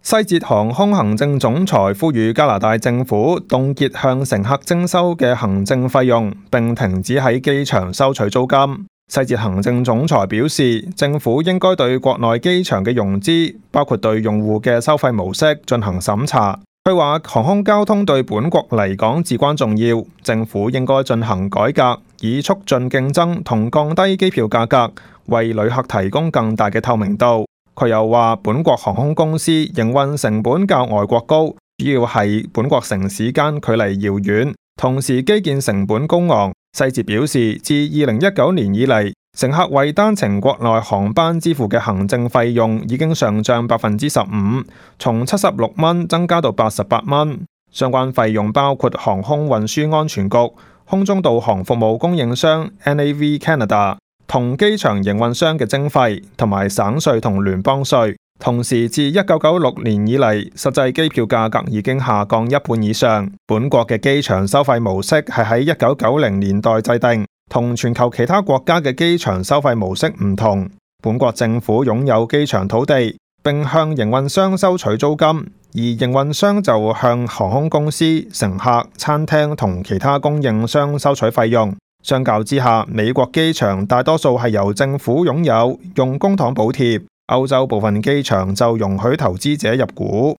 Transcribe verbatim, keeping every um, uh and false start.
西捷航空行政總裁呼籲加拿大政府凍結向乘客徵收嘅行政費用，並停止喺機場收取租金。西捷行政總裁表示，政府應該對國內機場嘅融資，包括對用戶嘅收費模式進行審查。佢話航空交通對本國嚟講至關重要，政府應該進行改革，以促進競爭同降低機票價格，為旅客提供更大嘅透明度。佢又話，本國航空公司營運成本較外國高，主要係本國城市間距離遙遠，同時基建成本高昂。西捷表示，自二零一九年以嚟，乘客為單程國內航班支付嘅行政費用已經上漲百分之十五，從七十六蚊增加到八十八蚊。相關費用包括航空運輸安全局、空中導航服務供應商 N A V Canada 同機場營運商嘅徵費，同埋省稅同聯邦稅。同時，自一九九六年以嚟，實際機票價格已經下降一半以上。本國嘅機場收費模式係喺一九九零年代制定，同全球其他國家嘅機場收費模式唔同。本國政府擁有機場土地，並向營運商收取租金，而營運商就向航空公司、乘客、餐廳同其他供應商收取費用。相較之下，美國機場大多數係由政府擁有，用公帑補貼；歐洲部分機場就容許投資者入股。